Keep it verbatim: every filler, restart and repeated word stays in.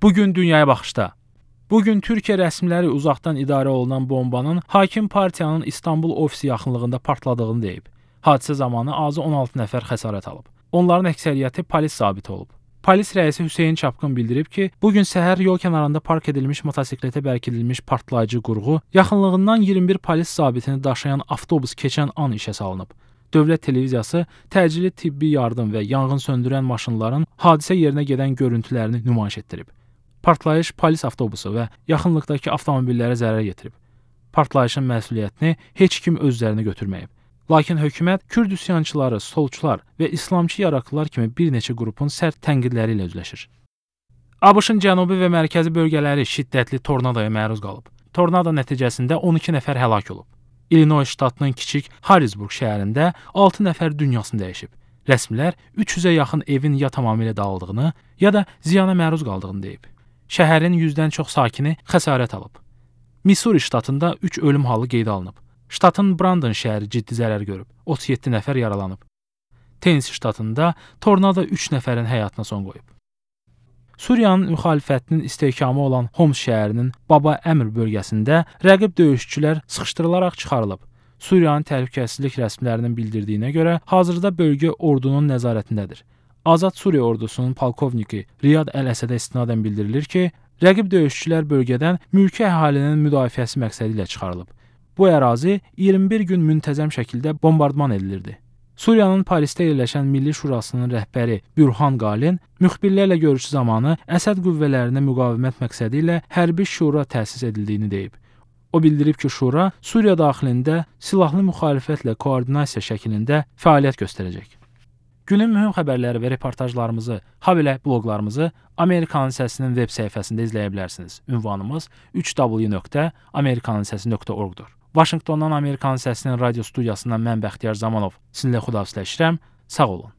Bugün dünyaya baxışda. Bugün Türkiyə rəsmiləri uzaqdan idarə olunan bombanın hakim partiyanın İstanbul ofisi yaxınlığında partladığını deyib. Hadisə zamanı azı on altı nəfər xəsarət alıb. Onların əksəriyyəti polis zabiti olub. Polis rəisi Hüseyn Çapqın bildirib ki, bugün səhər yol kənarında park edilmiş motosikletə bərkidilmiş partlayıcı qurğu yaxınlığından iyirmi bir polis zabitini daşıyan avtobus keçən an işə salınıb. Dövlət televiziyası təcili tibbi yardım və yanğın söndürən maşınların hadisə yerinə gedən görüntülərini nümayiş etdirib. Partlayış polis avtobusu və yaxınlıqdakı avtomobillərə zərər yetirib. Partlayışın məsuliyyətini heç kim öz üzərinə götürməyib. Lakin hökumət Kürd üsyançıları, solçular və İslamçı yaraqlılar kimi bir neçə qrupun sərt tənqidləri ilə üzləşir. ABŞ-ın cənubi və mərkəzi bölgələri şiddətli tornadoya məruz qalıb. Tornado nəticəsində on iki nəfər həlak olub. İllinois ştatının kiçik Harrisburg şəhərində altı nəfər dünyasını dəyişib. Rəsmilər üç yüzə yaxın evin ya tamamilə dağıldığını, ya da ziyana məruz qaldığını deyib. Şəhərin yüzdən çox sakini xəsarət alıb. Missouri ştatında üç ölüm halı qeydə alınıb. Ştatın Brandon şəhəri ciddi zərər görüb. otuz yeddi nəfər yaralanıb. Tennessee ştatında tornado üç nəfərin həyatına son qoyub. Suriyanın müxalifətinin istehkamı olan Homs şəhərinin Baba Əmr bölgəsində rəqib döyüşçülər sıxışdırılaraq çıxarılıb. Suriyanın təhlükəsizlik rəsmilərinin bildirdiyinə görə hazırda bölgə ordunun nəzarətindədir. Azad Suriya ordusunun polkovniki Riyad Əl-Əsədə istinadən bildirilir ki, rəqib döyüşçülər bölgədən mülki əhalinin müdafiəsi məqsədi ilə çıxarılıb. Bu ərazi iyirmi bir gün müntəzəm şəkildə bombardman edilirdi. Suriyanın Parisdə yerləşən Milli Şurasının rəhbəri Bürhan Qalin müxbirlərlə görüşü zamanı Əsəd qüvvələrinə müqavimət məqsədi ilə hərbi şura təsis edildiyini deyib. O bildirib ki, şura Suriya daxilində silahlı müxalifətlə koordinasiya şəklində fəaliyyət göstərəcək. Günün mühüm xəbərləri və reportajlarımızı, habelə bloqlarımızı Amerikanın Səsinin web səhifəsində izləyə bilərsiniz. Ünvanımız üç w nöqtə amerikanın səsi nöqtə org-dur. Vaşinqtondan Amerikanın Səsinin radio studiyasından mən Bəxtiyar Zamanov sizinlə xudahafizləşirəm. Sağ olun.